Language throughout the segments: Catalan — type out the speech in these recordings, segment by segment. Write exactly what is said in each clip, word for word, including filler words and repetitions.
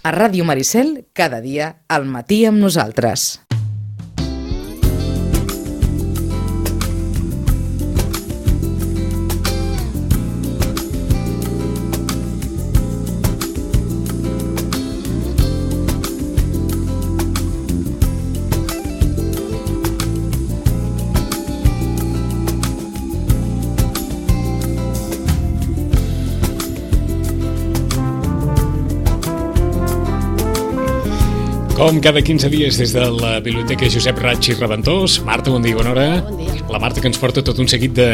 A Ràdio Maricel, cada dia al matí amb nosaltres. Com cada quinze dies des de la Biblioteca Josep Raig i Reventós. Marta, bon dia, bona hora. Bon dia. La Marta que ens porta tot un seguit de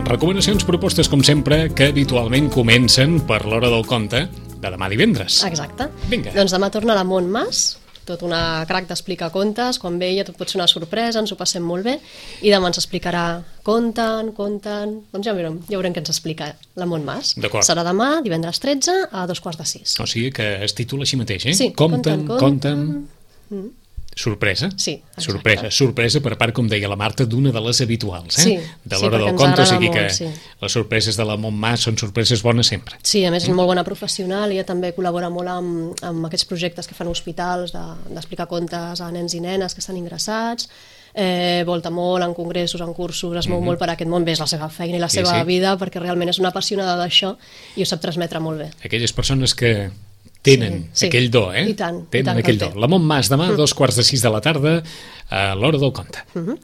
recomanacions, propostes, com sempre, que habitualment comencen per l'hora del conte de demà divendres. Exacte. Vinga. Doncs demà torna la Montmas, tot una crac d'explicar contes. Quan ve ella tot pot ser una sorpresa, ens ho passem molt bé. I demà ens explicarà conten, conten... Doncs ja veurem, ja veurem què ens explica la Montmas. D'acord. Serà demà, divendres tretze, a dos quarts de sis. O sigui que es titula així mateix, eh? Sí, Conten, conten, conten... conten. Mm. Sorpresa? Sí, exacte. Sorpresa, sorpresa per part, com deia la Marta, d'una de les habituals, eh? Sí, de sí, l'hora perquè del ens conte, o agrada sigui que molt, sí. les sorpreses de la Montmas són sorpreses bones sempre. Sí, a més és molt bona professional, ella també col·labora molt amb, amb aquests projectes que fan hospitals de, d'explicar contes a nens i nenes que estan ingressats, eh, volta molt en congressos, en cursos, es mou Mhm. molt per aquest món, bé, és la seva feina i la Sí, seva sí. vida, perquè realment és una apassionada d'això i ho sap transmetre molt bé. Aquelles persones que tenen Sí, sí. aquell do, eh? I tant, i tenen tant que aquell el do. té. La Montmas, demà, dos quarts de sis de la tarda, a l'hora del conte. Uh -huh.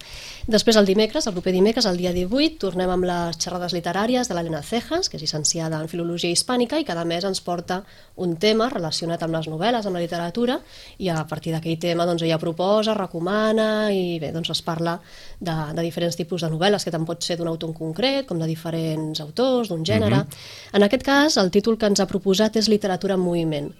Després, el dimecres, el proper dimecres, el dia divuit, tornem amb les xerrades literàries de l'Helena Cejas, que és llicenciada en Filologia Hispànica, i cada mes ens porta un tema relacionat amb les novel·les, amb la literatura, i a partir d'aquell tema doncs, ella proposa, recomana, i bé, doncs es parla de, de diferents tipus de novel·les, que tant pot ser d'un autor en concret, com de diferents autors, d'un gènere. Mhm. En aquest cas, el títol que ens ha proposat és Literatura en moviment.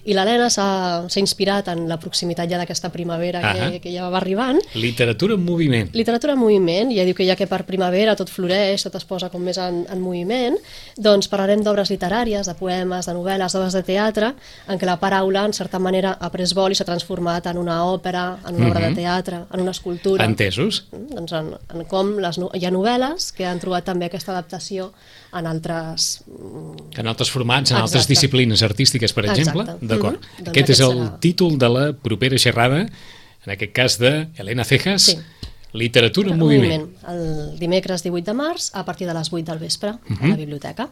I l'Helena s'ha s'ha inspirat en la proximitat ja d'aquesta primavera Ahà. que, que ja va arribant. Literatura en moviment. Literatura en moviment, ja diu que ja que per primavera tot floreix, tot es posa com més en, en moviment, doncs parlarem d'obres literàries, de poemes, de novel·les, d'obres de teatre, en què la paraula, en certa manera, ha pres vol i s'ha transformat en una òpera, en una obra Mhm. de teatre, en una escultura. Entesos? Doncs en, en com les, no- hi ha novel·les que han trobat també aquesta adaptació en altres... En altres formats, en Exacte. altres disciplines artístiques, per exemple. Exacte. D'acord. Mhm. Doncs Aquest és aquest el serà- títol de la propera xerrada, en aquest cas de Helena Cejas, Sí. Literatura en moviment. El dimecres divuit de març, a partir de les vuit del vespre, a Mhm. la biblioteca.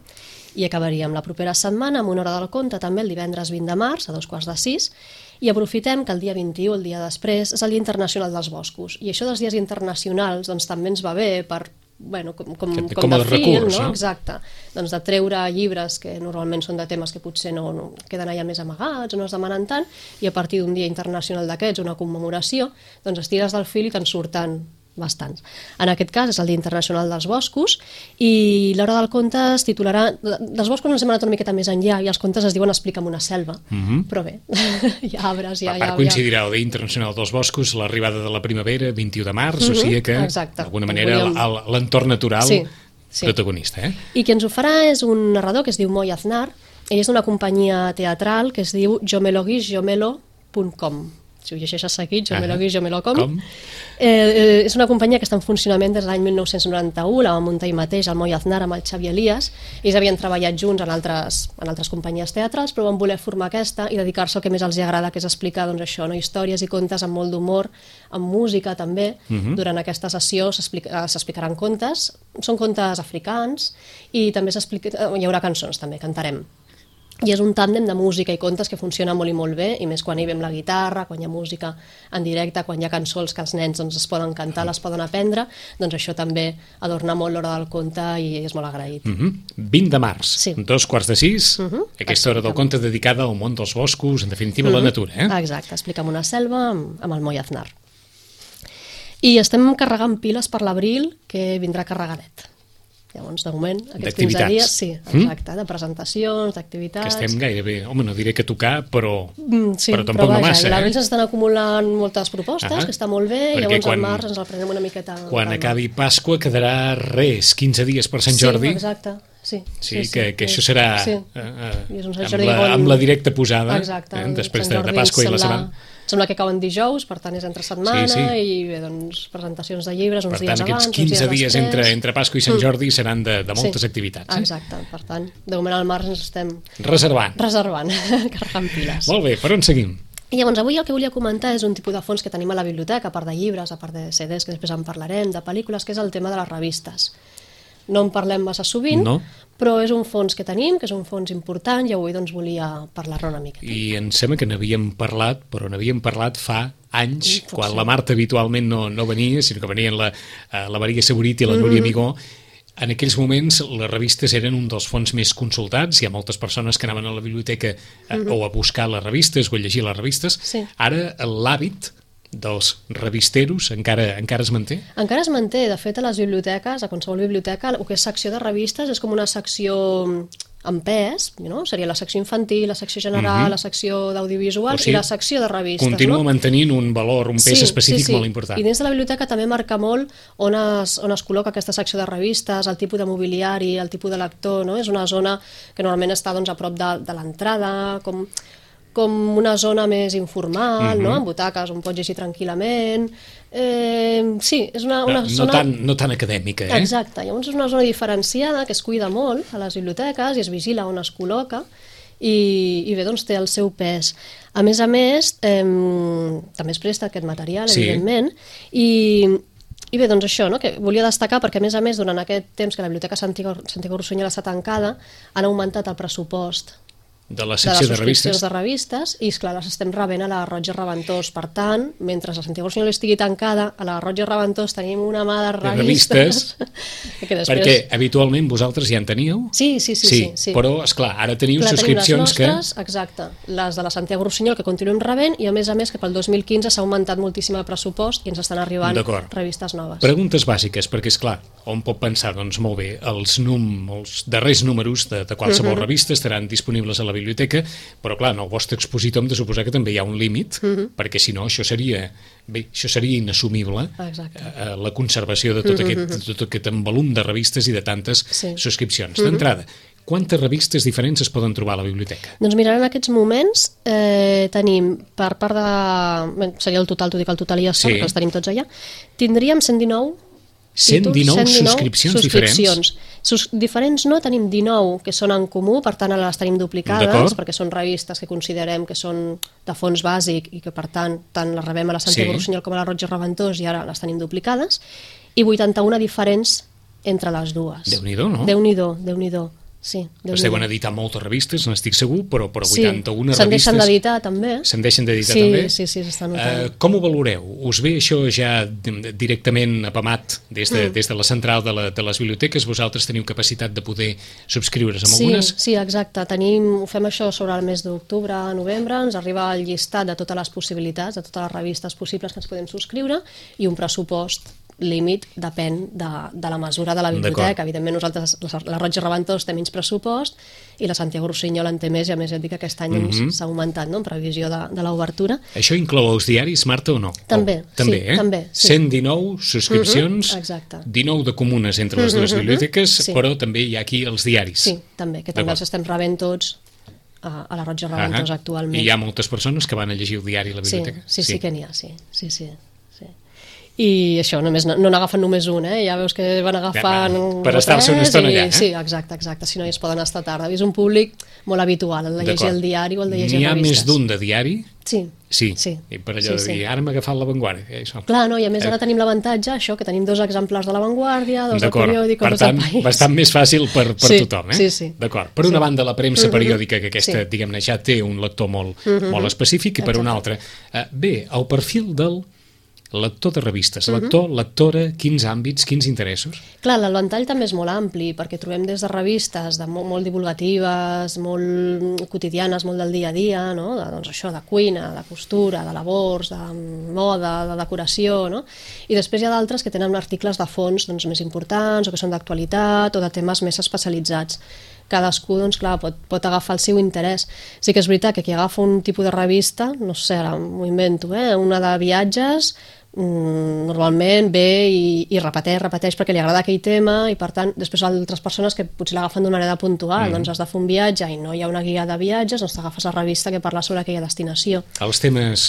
I acabaríem la propera setmana amb una hora del conte, també el divendres vint de març, a dos quarts de sis, i aprofitem que el dia vint-i-u, el dia després, és el Dia Internacional dels Boscos. I això dels dies internacionals doncs, també ens va bé per bueno, com, com, Com com a de fil, recurs, no? no? Exacte. Doncs de treure llibres que normalment són de temes que potser no, no queden allà més amagats o no es demanen tant, i a partir d'un dia internacional d'aquests, una commemoració, doncs estires del fil i te'n surten bastants. En aquest cas és el Dia Internacional dels Boscos i l'hora del conte es titularà... Dels boscos ens hem anat una miqueta més enllà i els contes es diuen Explica'm una selva, Mhm. però bé, hi ha arbres, hi ha... Per hi ha- part coincidirà el Dia Internacional dels Boscos, l'arribada de la primavera, vint-i-u de març, o Mhm, sigui que, exacte. d'alguna manera, Volíem- el- l'entorn natural Sí, sí. protagonista, eh? I qui ens ho farà és un narrador que es diu Moi Aznar. Ell és d'una companyia teatral que es diu jomeloguisjomelo punt com. Si ho llegeixes seguit, jomeloguisjomelo.com. Com? Eh, eh, és una companyia que està en funcionament des de l'any mil nou-cents noranta-u, la va muntar ell mateix, el Moi Aznar, amb el Xavi Elias. Ells havien treballat junts en altres, en altres companyies teatrals, però van voler formar aquesta i dedicar-se al que més els agrada, que és explicar doncs, això, no? Històries i contes amb molt d'humor, amb música també. Mhm. Durant aquesta sessió s'explica- s'explicaran contes, són contes africans i també s'explica, eh, hi haurà cançons també, cantarem. I és un tàndem de música i contes que funciona molt i molt bé, i més quan hi ve amb la guitarra, quan hi ha música en directe, quan hi ha cançons que els nens doncs, es poden cantar, les poden aprendre, doncs això també adorna molt l'hora del conte i és molt agraït. Mhm. vint de març, Sí. dos quarts de sis, Mhm. aquesta hora del conte dedicada al món dels boscos, en definitiva a la natura, eh? Exacte, explica'm una selva amb, amb el Moi Aznar. I estem carregant piles per l'abril, que vindrà carregadet. Llavors, de moment, aquests quinze D'activitats. dies, sí, exacte, de presentacions, Que d'activitats... estem gairebé, home, no diré que tocar, però, Mm, sí, però tampoc no massa, I eh? l'abril s'estan acumulant moltes propostes, Ah, que està molt bé, i perquè llavors quan- al març ens el prenem una miqueta... amb Quan calma. acabi Pasqua quedarà res, quinze dies per Sant Sí, Jordi. exacte. sí. Sí, sí, que, sí, que això serà sí. eh, eh, amb, la, amb la directa posada. Exacte, eh, després de, de Pasqua i la setmana. Sembla que cauen dijous, per tant és entre setmana, sí, sí. i bé, doncs, presentacions de llibres uns per tant, dies abans, aquests quinze dies, dies entre, entre Pasqua i Sant Jordi mm. seran de, de moltes sí. activitats. Eh? Exacte, per tant, de moment al març ens estem reservant, reservant carregant piles. Molt bé, per on seguim? I llavors avui el que volia comentar és un tipus de fons que tenim a la biblioteca, a part de llibres, a part de C Ds, que després en parlarem, de pel·lícules, que és el tema de les revistes. No en parlem massa sovint, no. però és un fons que tenim, que és un fons important, i avui doncs volia parlar-ne una mica. I em sembla que n'havíem parlat, però n'havíem parlat fa anys, I, quan sí. la Marta habitualment no, no venia, sinó que venien la, la Maria Saborit i la Núria mm-hmm. Migó. En aquells moments les revistes eren un dels fons més consultats, hi ha moltes persones que anaven a la biblioteca a, mm-hmm. o a buscar les revistes o a llegir les revistes. Sí. Ara l'hàbit dels revisteros encara, encara es manté? Encara es manté. De fet, a les biblioteques, a qualsevol biblioteca, el que és secció de revistes és com una secció en pes, no? Seria la secció infantil, la secció general, mm-hmm. la secció d'audiovisual o sigui, i la secció de revistes. Continua no? mantenint un valor, un pes sí, específic sí, sí. molt important. I dins de la biblioteca també marca molt on es, on es col·loca aquesta secció de revistes, el tipus de mobiliari, el tipus de lector, no? És una zona que normalment està doncs, a prop de, de l'entrada, com... com una zona més informal, mm-hmm. no? Amb butaques on pots llegir tranquil·lament. Eh, sí, és una, una no, zona... No tan, no tan acadèmica, eh? Exacte, llavors és una zona diferenciada que es cuida molt a les biblioteques i es vigila on es col·loca i, i bé, doncs té el seu pes. A més a més, eh, també es presta aquest material, sí. evidentment, i... I bé, doncs això, no? Que volia destacar perquè, a més a més, durant aquest temps que la Biblioteca Santiago Rossinyol està tancada, han augmentat el pressupost de la secció de, de revistes. de revistes i, esclar, les estem rebent a la Roig i Reventós. Per tant, mentre la Santiago Rossinyol estigui tancada, a la Roig i Reventós tenim una mà de revistes. De revistes que després... Perquè habitualment vosaltres ja en teníeu? Sí, sí, sí. sí, sí, sí. Però, esclar, ara teniu clar, subscripcions tenim les nostres, que... Exacte, les de la Santiago Rossinyol que continuem rebent i, a més a més, que pel dos mil quinze s'ha augmentat moltíssim el pressupost i ens estan arribant revistes noves. Preguntes bàsiques, perquè, esclar, on pot pensar, doncs molt bé, els, num, els darrers números de, de qualsevol uh-huh. revista estaran disponibles a la biblioteca, però clar, en el vostre expositor hem de suposar que també hi ha un límit, uh-huh. perquè si no això seria, bé, això seria inassumible, eh, la conservació de tot, uh-huh. aquest, de tot aquest volum de revistes i de tantes sí. subscripcions. Uh-huh. D'entrada, quantes revistes diferents es poden trobar a la biblioteca? Doncs mira, en aquests moments eh, tenim, per part de... Bé, seria el total, t'ho dic el total i ja són, sí. que els tenim tots allà, tindríem cent dinou cent dinou, cent dinou subscripcions, subscripcions diferents? Sus diferents no, tenim dinou que són en comú, per tant les tenim duplicades, perquè són revistes que considerem que són de fons bàsic i que per tant tant les rebem a la Santiago sí. Rossinyol com a la Roig i Reventós i ara les tenim duplicades, i vuitanta-una diferents entre les dues. Déu-n'hi-do, no? Déu-n'hi-do, Déu-n'hi-do. Sí, es deuen editar moltes revistes, n'estic segur, però, però vuitanta-una sí, se'n revistes... deixen d'editar també. Se'n deixen d'editar sí, també? Sí, sí, s'està notant. Uh, com ho valoreu? Us ve això ja directament apamat des de, mm. des de la central de, la, de les biblioteques? Vosaltres teniu capacitat de poder subscriure's amb sí, algunes? Sí, exacte. Tenim, ho fem això sobre el mes d'octubre, novembre, ens arriba el llistat de totes les possibilitats, de totes les revistes possibles que ens podem subscriure i un pressupost límit depèn de, de la mesura de la biblioteca. Evidentment nosaltres, la Roig i Reventós té menys pressupost i la Santiago Rossinyol en té més, i a més ja et dic que aquest any mm-hmm. s'ha augmentat, no?, en previsió de, de l'obertura. Això inclou els diaris, Marta, o no? També, oh, també, sí, eh? també. Sí. cent dinou subscripcions, mm-hmm, dinou de comunes entre les dues mm-hmm, biblioteques, sí. però també hi ha aquí els diaris. Sí, també, que també els estem rebent tots a, a la Roig i Reventós uh-huh. actualment. I hi ha moltes persones que van a llegir el diari a la biblioteca? Sí, sí, sí, sí que n'hi ha, sí, sí, sí. I això, només, no n'agafen només un, eh? Ja veus que van agafant... Ja, per estar-se una estona allà, eh? Sí, exacte, exacte, si no hi es poden estar tarda. És un públic molt habitual, el de llegir el diari o el de llegir revistes. N'hi ha més d'un de diari? Sí. Sí, sí. I per allò sí, de dir, sí. ara m'ha agafat l'avantguàrdia. Eh, això. Clar, no, i a més ara tenim l'avantatge, això, que tenim dos exemplars de l'avantguàrdia, dos de periòdic, dos del País. Bastant més fàcil per, per sí, tothom, eh? Sí, sí. D'acord. Per una sí. banda, la premsa uh-huh. periòdica, que aquesta, sí. diguem-ne, ja té un lector molt, uh-huh. molt específic, i per exacte. una altra. Uh, bé, el perfil del lector de revistes, lector, uh-huh. lectora, quins àmbits, quins interessos? Clar, el ventall també és molt ampli, perquè trobem des de revistes de molt, molt divulgatives, molt quotidianes, molt del dia a dia, no? de, doncs això, de cuina, de costura, de labors, de moda, de decoració, no? I després hi ha d'altres que tenen articles de fons doncs, més importants, o que són d'actualitat, o de temes més especialitzats. Cadascú, doncs clar, pot, pot agafar el seu interès. Sí que és veritat que qui agafa un tipus de revista, no sé, ara m'ho invento, eh? una de viatges, normalment ve i, i repeteix, repeteix perquè li agrada aquell tema i per tant després altres persones que potser l'agafen d'una manera puntual, mm. doncs has de fer un viatge i no hi ha una guia de viatges, doncs t'agafes la revista que parla sobre aquella destinació. Els temes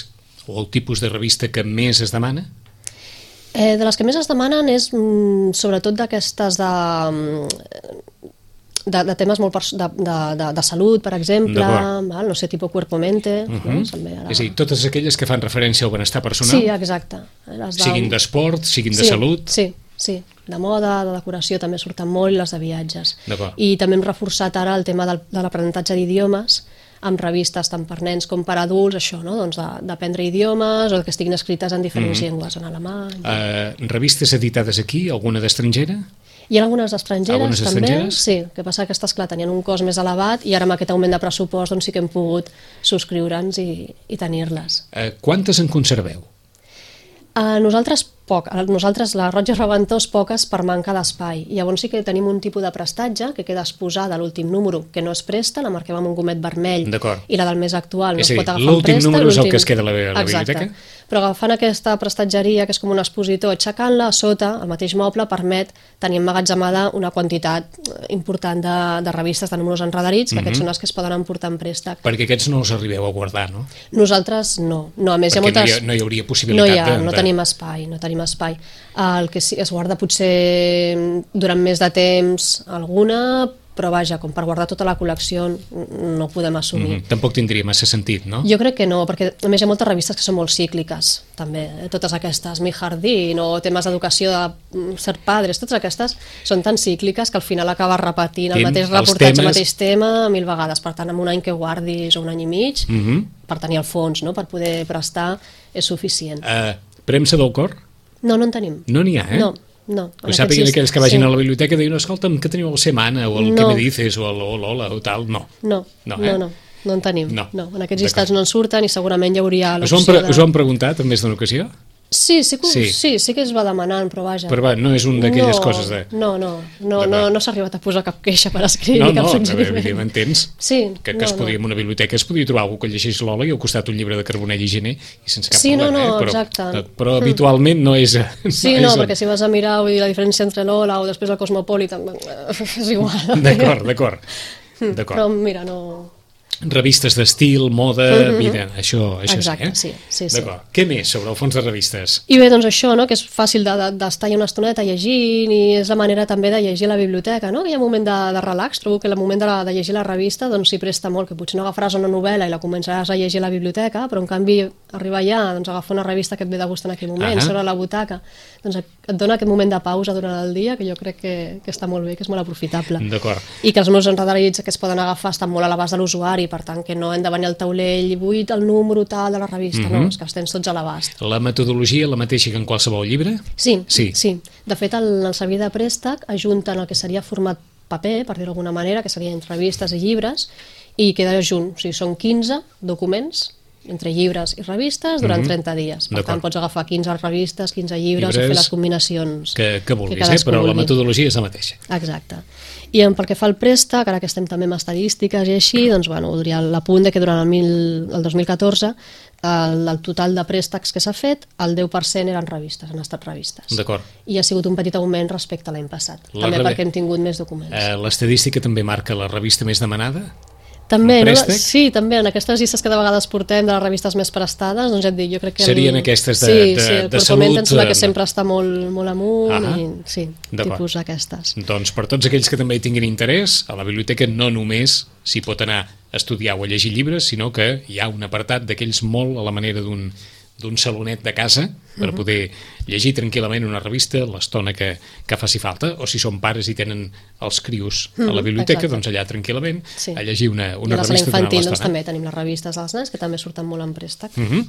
o el tipus de revista que més es demana? Eh, de les que més es demanen és mm, sobretot d'aquestes de... De, de temes molt pers- de, de, de, de salut, per exemple, val? No sé, tipus cuerpo-mente. Uh -huh. No? Ara... És a dir, totes aquelles que fan referència al benestar personal? Sí, exacte. Les siguin d'esport, siguin sí, de salut? Sí, sí. De moda, de decoració també surten molt i les de viatges. D'acord. I també hem reforçat ara el tema del, de l'aprenentatge d'idiomes amb revistes tant per nens com per adults, això, no? Doncs d'aprendre idiomes o que estiguin escrites en diferents mm. llengües, en alemany... Uh, revistes editades aquí, alguna d'estrangera? Hi ha algunes estrangeres, algunes també, estrangeres? sí, el que passa que aquestes, clar, tenien un cost més elevat i ara amb aquest augment de pressupost doncs sí que hem pogut subscriure'ns i, i tenir-les. Uh, quantes en conserveu? A nosaltres poc, a nosaltres la Roig i Reventós poques per manca d'espai. Llavors sí que tenim un tipus de prestatge que queda exposada a l'últim número, que no es presta, la marquem amb un gomet vermell i la del més actual no és es pot dir, agafar en presta. L'últim número és el que es queda a la, a la Exacte. biblioteca? Però agafant aquesta prestatgeria, que és com un expositor, aixecant-la a sota, el mateix moble permet tenir emmagatzemada una quantitat important de, de revistes, de números enredarits, que mm-hmm. aquests són els que es poden emportar en préstec. Perquè aquests no els arribeu a guardar, no? Nosaltres no. no a més, perquè hi ha moltes... no, hi ha, no hi hauria possibilitat no hi ha, de... No de... tenim espai, no tenim espai. El que sí, es guarda potser durant més de temps alguna, però vaja, com per guardar tota la col·lecció no podem assumir. Mm-hmm. Tampoc tindria massa sentit, no? Jo crec que no, perquè a més hi ha moltes revistes que són molt cícliques, també, eh? Totes aquestes, Mi Jardín o temes d'educació de ser padres, totes aquestes són tan cícliques que al final acabes repetint el Tem, mateix reportatge, temes... el mateix tema mil vegades, per tant, en un any que guardis o un any i mig, mm-hmm. per tenir el fons, no? Per poder prestar, és suficient. Uh, premsa del cor? No, no en tenim. No n'hi ha, eh? No, no. Ho sàpiguen aquells que vagin sí. a la biblioteca i diuen, escolta'm, què teniu el Semana o el no. que me dices o el Lola o tal, no. No, no, eh? no, no, no en tenim. No, no en aquests llistats no en surten i segurament hi hauria l'opció us, pre de... us ho han preguntat en més d'una ocasió? Sí, sí que, sí. sí, sí que es va demanant, però vaja. Però va, no és un d'aquelles no, coses de... No, no, no, no, no s'ha arribat a posar cap queixa per escrit no, ni cap no, suggeriment. No, evidentment tens sí, que, que no, es podia, no. en una biblioteca es podia trobar algú que llegeix Lola i al costat un llibre de Carbonell i Gené i sense cap sí, problema, no, no, eh? Però, exacte. però habitualment no és... No sí, és no, on... perquè si vas a mirar vull dir, la diferència entre Lola o després el Cosmopolitan és igual. D'acord, d'acord. Però mira, no... Revistes d'estil, moda, mm-hmm. vida, això, això exacte, sí, eh? sí, sí, sí. D'acord. Què més sobre el fons de revistes? I bé, doncs això, no? Que és fàcil d'estar de, de, una estoneta llegint i és la manera també de llegir la biblioteca, no? Que hi ha un moment de, de relax, trobo que el moment de, la, de llegir la revista doncs s'hi presta molt, que potser no agafaràs una novel·la i la començaràs a llegir a la biblioteca, però en canvi arribar allà, doncs agafar una revista que et ve de gust en aquell moment, uh-huh. sobre la butaca, doncs et dona aquest moment de pausa durant el dia que jo crec que, que està molt bé, que és molt aprofitable. D'acord. I que els meus enredarits que es poden agafar estan molt a l'abast de l'usuari, per tant que no hem de venir al taulell i vull el número tal de la revista, mm-hmm. no, és que els tens tots a l'abast. La metodologia la mateixa que en qualsevol llibre? Sí, sí. sí. De fet, el, el servei de préstec ajunten el que seria format paper, per dir-ho d'alguna manera, que serien revistes i llibres, i queda junt, o sigui, són quinze documents entre llibres i revistes durant mm-hmm. trenta dies. Per tant, pots agafar quinze revistes, quinze llibres, llibres o fer les combinacions que, que vulguis, que eh? Però vulgui. La metodologia és la mateixa. Exacte. I pel que fa al préstec, ara que estem també amb estadístiques i així, doncs, bueno, voldria l'apunt que durant el, mil, el dos mil catorze el, el total de préstecs que s'ha fet, el deu per cent eren revistes, han estat revistes. D'acord. I ha sigut un petit augment respecte a l'any passat, la també re... perquè hem tingut més documents. Eh, l'estadística també marca la revista més demanada? També, no? Sí, també, en aquestes llistes que de vegades portem de les revistes més prestades, doncs ja et dic, jo crec que... Serien el... aquestes de, sí, de, sí, el de salut... em sembla que sempre està molt, molt amunt, ah, i sí, tipus aquestes. Doncs per tots aquells que també hi tinguin interès, a la biblioteca no només s'hi pot anar a estudiar o a llegir llibres, sinó que hi ha un apartat d'aquells molt a la manera d'un d'un salonet de casa per uh-huh. poder llegir tranquil·lament una revista l'estona que, que faci falta, o si són pares i tenen els crios uh-huh. a la biblioteca, exacte. Doncs allà tranquil·lament sí. a llegir una, una revista durant l'estona. Doncs també tenim les revistes dels nens que també surten molt en préstec. Uh-huh.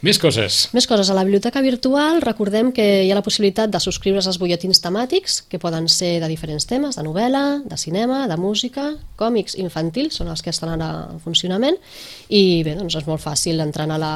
Més coses. Més coses. A la biblioteca virtual recordem que hi ha la possibilitat de subscriure's als butlletins temàtics que poden ser de diferents temes, de novel·la, de cinema, de música, còmics infantils, són els que estan ara en funcionament, i bé, doncs és molt fàcil entrar a la,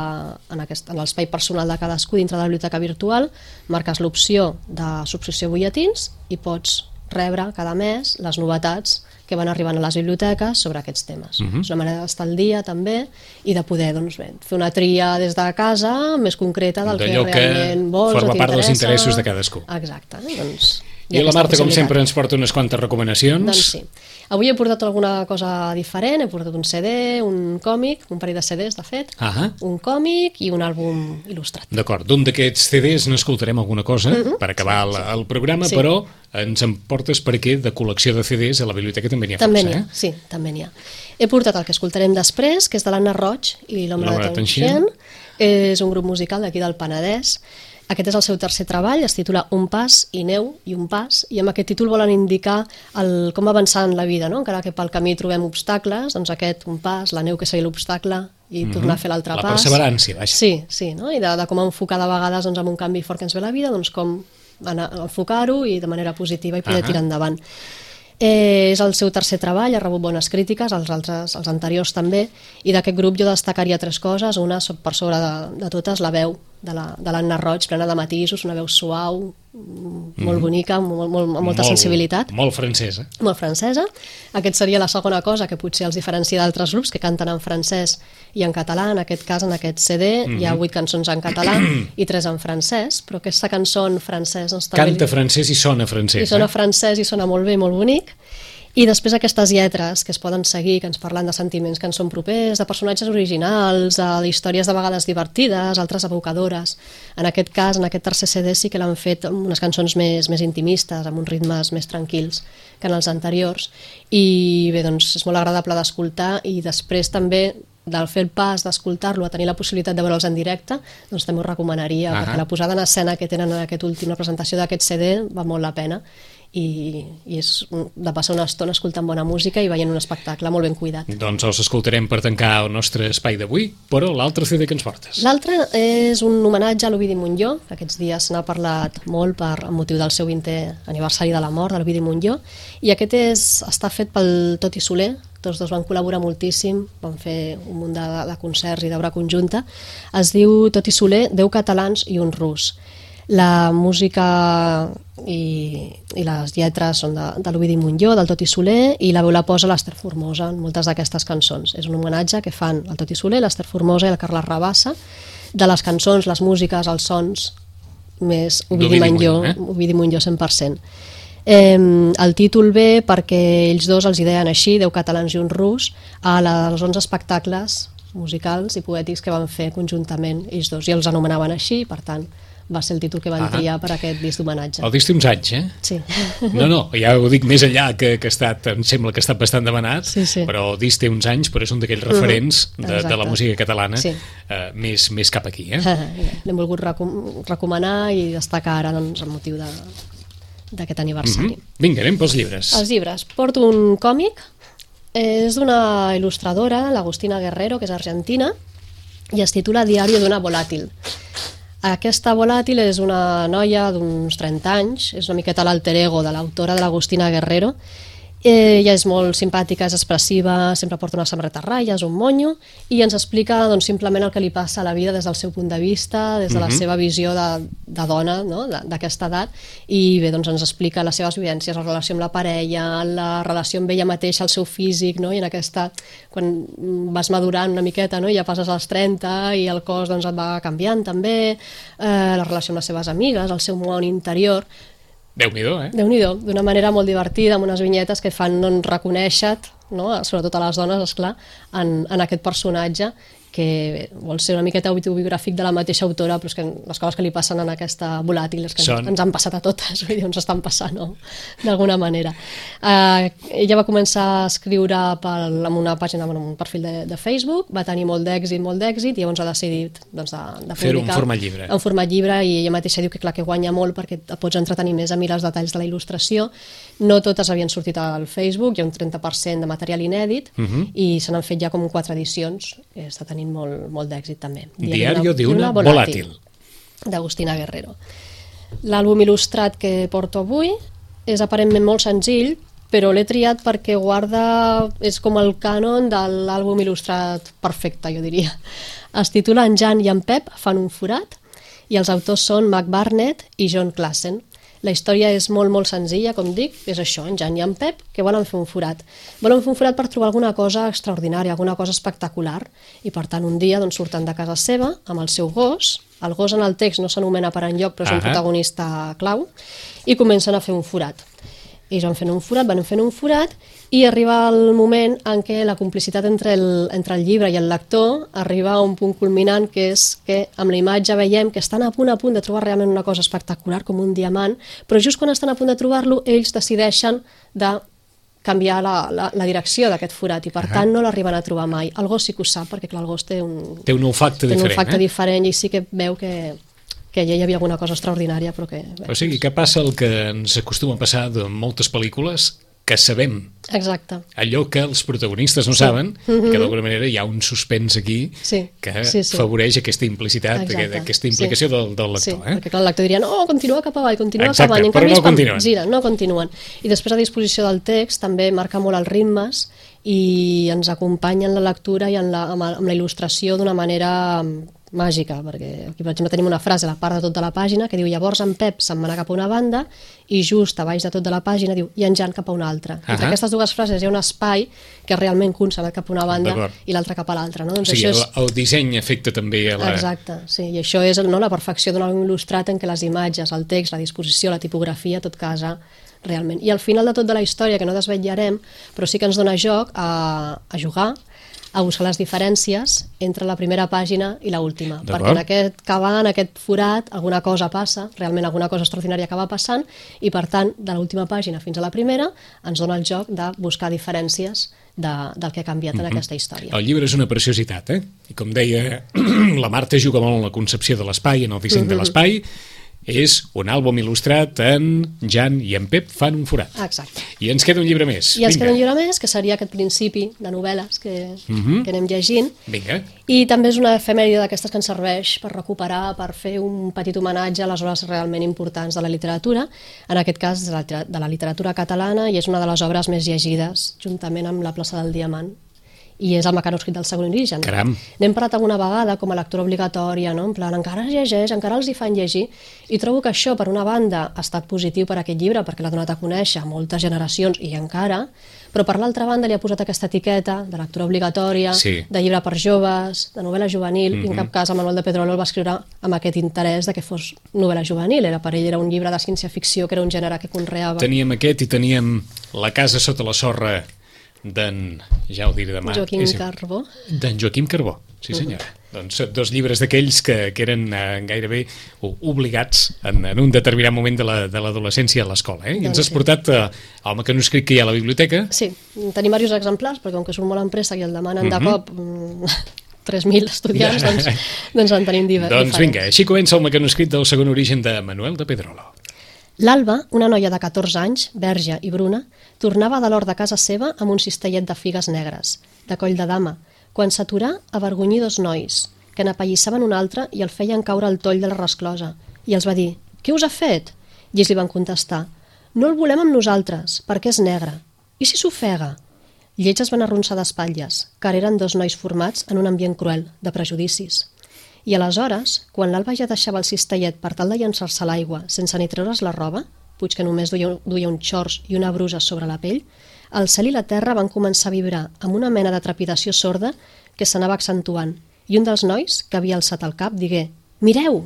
en, aquest, en l'espai personal de cadascú dintre de la biblioteca virtual, marques l'opció de subscripció a butlletins i pots rebre cada mes les novetats que van arribant a les biblioteques sobre aquests temes. Uh-huh. És una manera d'estar al dia també i de poder doncs, bé, fer una tria des de casa més concreta del que realment vols o t'interessa. Forma part dels interessos de cadascú. Exacte. Doncs, I la Marta, com sempre, ens porta unes quantes recomanacions. Doncs sí. Avui he portat alguna cosa diferent, he portat un C D, un còmic, un parell de C Ds, de fet, uh-huh. un còmic i un àlbum il·lustrat. D'acord, d'un d'aquests C Ds n'escoltarem alguna cosa uh-huh. per acabar sí, el, el programa, sí. Però ens en portes perquè de col·lecció de C Ds a la biblioteca també n'hi ha també força, n'hi ha, eh? Sí, també n'hi ha. He portat el que escoltarem després, que és de l'Anna Roig i l'Home de Tanxent. És un grup musical d'aquí del Penedès. Aquest és el seu tercer treball, es titula Un pas i neu i un pas, i amb aquest títol volen indicar el, com avançar en la vida, no? Encara que pel camí trobem obstacles, doncs aquest un pas, la neu que seria l'obstacle, i mm-hmm. tornar a fer l'altre pas. La perseverància, vaja. Sí, sí, no? I de, de com enfocar de vegades doncs, amb un canvi fort que ens ve a la vida, doncs com anar, enfocar-ho i de manera positiva i poder uh-huh. tirar endavant. Eh, és el seu tercer treball, ha rebut bones crítiques, els altres, els anteriors també, i d'aquest grup jo destacaria tres coses. Una, per sobre de, de totes, la veu de l'Anna la, Roig, plena de matisos, una veu suau, molt mm. bonica, molt, molt, amb molta molt, sensibilitat. Molt francesa. Molt francesa. Aquest seria la segona cosa que potser els diferencia d'altres grups que canten en francès i en català. En aquest cas, en aquest C D, mm-hmm. hi ha vuit cançons en català i tres en francès, però aquesta cançó en francès... Doncs, canta li... francès i sona francès. I sona eh? francès i sona molt bé, molt bonic. I després aquestes lletres que es poden seguir, que ens parlen de sentiments que ens són propers, de personatges originals, de històries de vegades divertides, altres evocadores. En aquest cas, en aquest tercer C D, sí que l'han fet amb unes cançons més, més intimistes, amb uns ritmes més tranquils que en els anteriors. I bé, doncs és molt agradable d'escoltar, i després també del fer el pas d'escoltar-lo a tenir la possibilitat de veure'ls en directe, doncs també ho recomanaria, uh-huh. perquè la posada en escena que tenen en aquest últim, la presentació d'aquest C D, va molt la pena. I, i és de passar una estona escoltant bona música i veient un espectacle molt ben cuidat. Doncs els escoltarem per tancar el nostre espai d'avui, però l'altre C D que ens portes? L'altre és un homenatge a l'Ovidi Montllor. Aquests dies n'ha parlat molt per motiu del seu vintè aniversari de la mort de l'Ovidi Montllor, i aquest és, està fet pel Toti Soler. Tots dos van col·laborar moltíssim, van fer un munt de, de concerts i d'obra conjunta. Es diu Toti Soler, deu catalans i un rus. La música i, i les lletres són de, de l'Ovidi Montllor, del Toti Soler, i la veu la posa l'Ester Formosa en moltes d'aquestes cançons. És un homenatge que fan el Toti Soler, l'Ester Formosa i la Carla Rabassa, de les cançons, les músiques, els sons, més Ovidi Montllor, eh? Ovidi Montllor cent per cent. Eh, el títol ve perquè ells dos els hi deien així, deu catalans i un rus, a les onze espectacles musicals i poètics que van fer conjuntament ells dos, i els anomenaven així, per tant va ser el títol que van ah. triar per aquest disc d'homenatge. El disc té uns anys, eh? Sí. No, no, ja ho dic més enllà, que, que ha estat, em sembla que ha estat bastant demanat, sí, sí. però el disc té uns anys, però és un d'aquells referents mm, de, de la música catalana, sí. eh, més, més cap aquí, eh? L'hem volgut recom recomanar i destacar ara, doncs, el motiu de d'aquest aniversari. Mm-hmm. Vinga, anem pels llibres. Els llibres. Porto un còmic, és d'una il·lustradora, l'Agustina Guerrero, que és argentina, i es titula Diario d'una volàtil. Aquesta volàtil és una noia d'uns trenta anys, és una miqueta l'alter ego de l'autora, de l'Agustina Guerrero. Ella és molt simpàtica, és expressiva, sempre porta una samarreta a ratlles, un monyo, i ens explica doncs, simplement el que li passa a la vida des del seu punt de vista, des de la uh-huh. seva visió de, de dona, no? d'aquesta edat, i bé, doncs ens explica les seves vivències, la relació amb la parella, la relació amb ella mateixa, el seu físic, no? I en aquesta, quan vas madurant una miqueta, no? I ja passes als trenta i el cos doncs, et va canviant també, eh, la relació amb les seves amigues, el seu món interior. Déu-n'hi-do, eh? Déu-n'hi-do, d'una manera molt divertida, amb unes vinyetes que fan doncs, reconèixer-te, no? Sobretot a les dones, esclar, en, en aquest personatge que vol ser una miqueta autobiogràfic de la mateixa autora, però és que les coses que li passen en aquesta volàtil és que Són... ens han passat a totes, vull dir, ens estan passant, no? D'alguna manera. Uh, ella va començar a escriure pel, en una pàgina, en un perfil de, de Facebook, va tenir molt d'èxit, molt d'èxit, i llavors ha decidit doncs, de, de publicar... Fer-ho en format llibre. En format llibre, i ella mateixa diu que clar que guanya molt perquè et pots entretenir més a mirar els detalls de la il·lustració. No totes havien sortit al Facebook, hi ha un trenta per cent de material inèdit, uh-huh. i se n'han fet ja com quatre edicions, que està tenint molt, molt d'èxit també. Diario d'una volàtil. D'Agustina Guerrero. L'àlbum il·lustrat que porto avui és aparentment molt senzill, però l'he triat perquè guarda, és com el cànon de l'àlbum il·lustrat perfecte, jo diria. Es titula En Jan i en Pep fan un forat, i els autors són Mac Barnett i John Klassen. La història és molt, molt senzilla, com dic, és això, en Jan i en Pep, que volen fer un forat. Volen fer un forat per trobar alguna cosa extraordinària, alguna cosa espectacular, i per tant un dia doncs, surten de casa seva amb el seu gos, el gos en el text no s'anomena per enlloc, però és un Ahà. protagonista clau, i comencen a fer un forat. Ells van fent un forat, van fent un forat, i arriba el moment en què la complicitat entre el, entre el llibre i el lector arriba a un punt culminant, que és que amb la imatge veiem que estan a punt a punt de trobar realment una cosa espectacular, com un diamant, però just quan estan a punt de trobar-lo, ells decideixen de canviar la, la, la direcció d'aquest forat, i per Ahà. tant no l'arriben a trobar mai. El gos sí que ho sap, perquè clar, el gos té un, Té un olfacte té un diferent, olfacte eh? diferent, i sí que veu que que allà hi havia alguna cosa extraordinària, però que... Bé, O sigui, que passa el que ens acostuma a passar de moltes pel·lícules, que sabem exacte. allò que els protagonistes no Sí. saben, Mhm. que d'alguna manera hi ha un suspens aquí Sí. que Sí, sí. favoreix aquesta implicitat, Exacte. aquest- aquesta implicació Sí. del, del lector. Sí, eh? perquè clar, el lector diria, no, continua cap avall, continua Exacte, cap avall, i en però canvi no és quan continuen. giren, no continuen. I després a disposició del text també marca molt els ritmes i ens acompanya en la lectura i en la, amb, amb la il·lustració d'una manera màgica, perquè aquí per exemple tenim una frase a la part de tot de la pàgina que diu llavors en Pep se'n va anar cap a una banda i just a baix de tot de la pàgina diu i en Jan cap a una altra. Entre Ahà. aquestes dues frases hi ha un espai que realment que un se'n va cap a una banda D'acord. i l'altre cap a l'altra. No? O Doncs sigui, això el, és... el disseny afecta també a la... Exacte, sí, i això és no, la perfecció d'un àlbum il·lustrat en què les imatges, el text, la disposició, la tipografia, tot casa realment. I al final de tot de la història, que no desvetllarem, però sí que ens dona joc a, a jugar, a buscar les diferències entre la primera pàgina i l'última, D'acord. perquè en aquest cavall, en aquest forat, alguna cosa passa, realment alguna cosa extraordinària acaba passant, i per tant, de l'última pàgina fins a la primera, ens dona el joc de buscar diferències de, del que ha canviat en aquesta història. El llibre és una preciositat, eh? I com deia, la Marta juga molt en la concepció de l'espai, en el disseny de l'espai. És un àlbum il·lustrat en Jan i en Pep fan un forat. Exacte. I ens queda un llibre més. I ens Vinga. queda un llibre més, que seria aquest principi de novel·les que, Mhm. que anem llegint. Vinga. I també és una efemèride d'aquestes que ens serveix per recuperar, per fer un petit homenatge a les obres realment importants de la literatura, en aquest cas de la, de la literatura catalana, i és una de les obres més llegides, juntament amb La plaça del Diamant, i és el mecanoscrit del segon origen. Caram. N'hem parlat alguna vegada com a lectura obligatòria, no? En plan, encara es llegeix, encara els hi fan llegir, i trobo que això, per una banda, ha estat positiu per aquest llibre, perquè l'ha donat a conèixer a moltes generacions, i encara, però per l'altra banda li ha posat aquesta etiqueta de lectura obligatòria, Sí. de llibre per joves, de novel·la juvenil, Mhm. i en cap cas el Manuel de Pedrolo el va escriure amb aquest interès de que fos novel·la juvenil, era per ell era un llibre de ciència-ficció, que era un gènere que conreava. Teníem aquest i teníem La casa sota la sorra d'en... ja ho diré demà. Joaquim És- Carbó. D'en Joaquim Carbó, sí senyora. Doncs dos llibres d'aquells que, que eren eh, gairebé o- obligats en, en un determinat moment de la- de l'adolescència a l'escola. Eh? I ens Doncs has sí. portat eh, el mecanoscrit que hi ha a la biblioteca. Sí, tenim diversos exemplars, perquè com que surt molt en pressa i el demanen Mhm. de cop mm, tres mil estudiants, doncs, doncs en tenim diver- diferents. Doncs vinga, així comença el mecanoscrit del segon origen de Manuel de Pedrolo. L'Alba, una noia de catorze anys, verge i bruna, tornava de l'hort de casa seva amb un cistellet de figues negres, de coll de dama, quan s'aturà a avergonyir dos nois, que n'apallissaven un altre i el feien caure al toll de la resclosa, i els va dir: «Què us ha fet?» I ells li van contestar: «No el volem amb nosaltres, perquè és negre. I si s'ofega?» I ells es van arronsar d'espatlles, car eren dos nois formats en un ambient cruel, de prejudicis. I aleshores, quan l'Alba ja deixava el cistellet per tal de llançar-se a l'aigua sense ni treure's la roba, puig que només duia, duia un xors i una brusa sobre la pell, el cel i la terra van començar a vibrar amb una mena de trepidació sorda que s'anava accentuant, i un dels nois, que havia alçat el cap, digué: «Mireu!»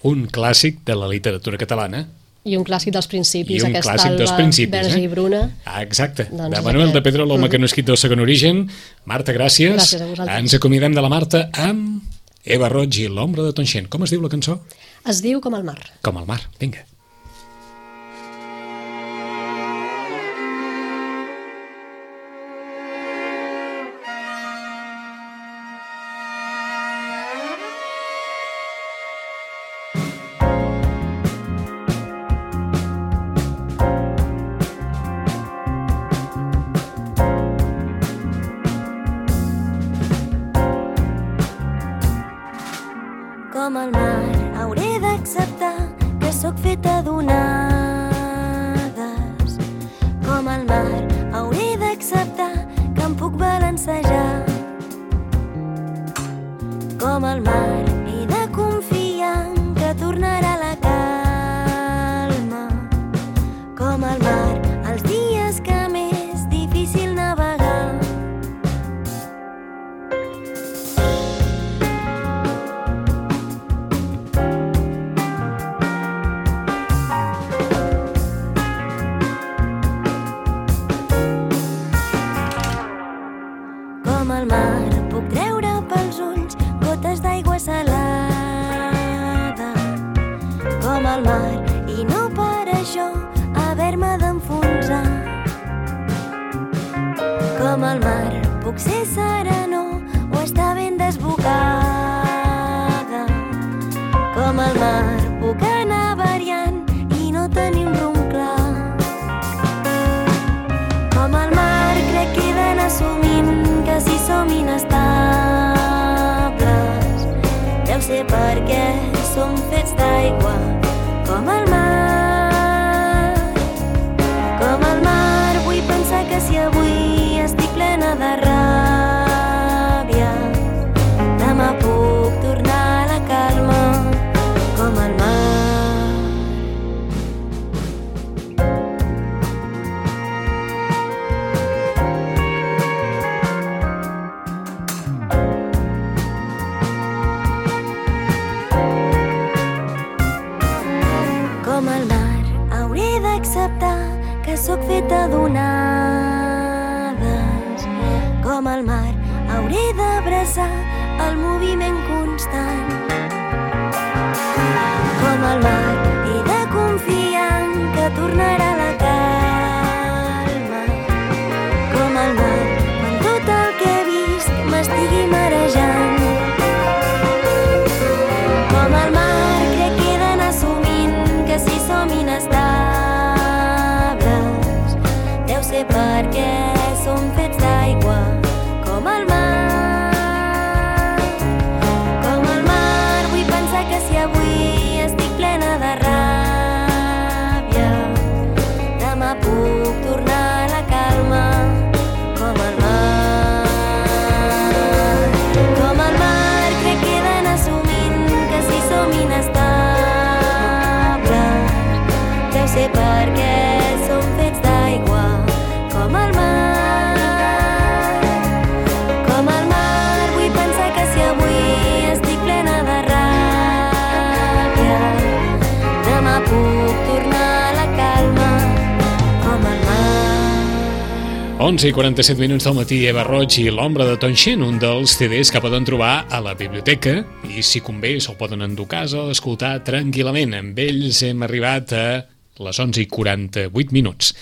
Un clàssic de la literatura catalana. I un clàssic dels principis, I un aquesta clàssic dels Alba principis, verge eh? i bruna. Ah, exacte, Doncs de Manuel de aquest. Pedrolo, el Mhm. mecanoscrit del segon origen. Marta, gràcies. Gràcies a vosaltres. Ens acomiadem de la Marta amb Eva Roig i l'ombra de Tonxent. Com es diu la cançó? Es diu Com el mar. Com el mar. Vinga. Com el mar, hauré d'acceptar que sóc feta d'onades. Com el mar, hauré d'acceptar que em puc balancejar. Com el mar, he de confiar en que tornarà la calma. d'aigua salada com el mar, i no per això haver-me d'enfonsar. Com el mar puc ser serenor o estar ben desbocada. Com el mar puc anar variant i no tenir un rumb clar. Com el mar crec que he d'anar assumint que si som inestables deu ser perquè som fets d'aigua. Com el mar, com el mar, vull pensar que si avui estic plena de ràbia demà puc tornar a la calma. Com el mar. Com el mar, hauré d'acceptar que sóc feta d'onades. Com el mar, hauré d'abraçar el moviment constant. Com el mar, he de confiar en que tornarà la calma. Com el mar, quan tot el que he vist m'estigui marejant. Com el mar, crec que he d'anar assumint que si som inestables deu ser perquè som fets d'aigua. Com el mar, com el mar, vull pensar que si avui estic plena de ràbia demà puc tornar a la calma. Com el mar, com el mar, crec que he d'anar assumint que si som inestables deu ser perquè som fets d'aigua. Com el mar, com el mar, vull pensar que si avui estic plena de ràbia demà puc tornar a la calma. Com el mar. onze i quaranta-set minuts del matí, Eva Roig i l'ombra de Townshend, un dels C Ds que poden trobar a la biblioteca i, si convé, se'l poden endur a casa o escoltar tranquil·lament. Amb ells hem arribat a les onze i quaranta-vuit minuts.